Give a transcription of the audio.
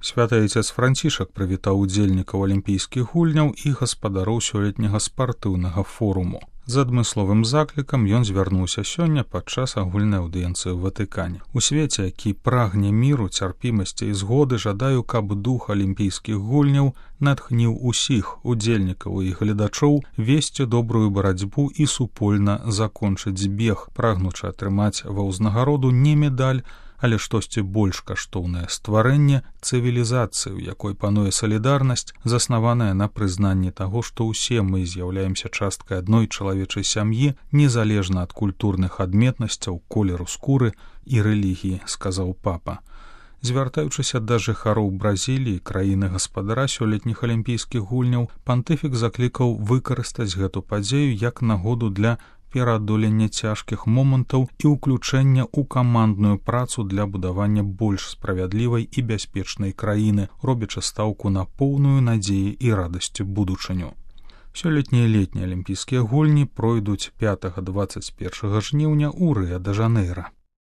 Святы Айцец Францішак прывітаў удзельнікаў алімпійскіх гульняў і гаспадароў сёлетняга спартыўнага форуму. З адмысловым заклікам ён звярнуўся сёння падчас агульнай аўдыенцыі ў Ватыкане. У свеце, які прагне міру, цярпімасці і згоды, жадаю, каб дух алімпійскіх гульняў натхніў усіх удзельнікаў і гледачоў весці добрую барацьбу і супольна закончыць бег, прагнучы атрымаць ва ўзнагароду не медаль, але штосьці больш каштоўнае стварэнне цывілізацыі, у якой пануе салідарнасць, заснаваная на прызнанні таго, што ўсе мы з'яўляемся часткай адной чалавечай сям'і, незалежна ад культурных адметнасцяў, колеру скуры і рэлігіі, сказаў папа. Звяртаючыся да жыхароў Бразіліі, краіны-гаспадара сёлетніх алімпійскіх гульняў, пантыфік заклікаў выкарыстаць гэту падзею як нагоду для пераадолення цяжкіх момантаў і ўключэння ў камандную працу для будавання больш справядлівай і бяспечнай краіны, робячы стаўку на поўную надзеі і радасці будучыню. Сёлетнія летнія алімпійскія гульні пройдуць 5-21 жніўня ў Рыа-дэ-Жанэйра.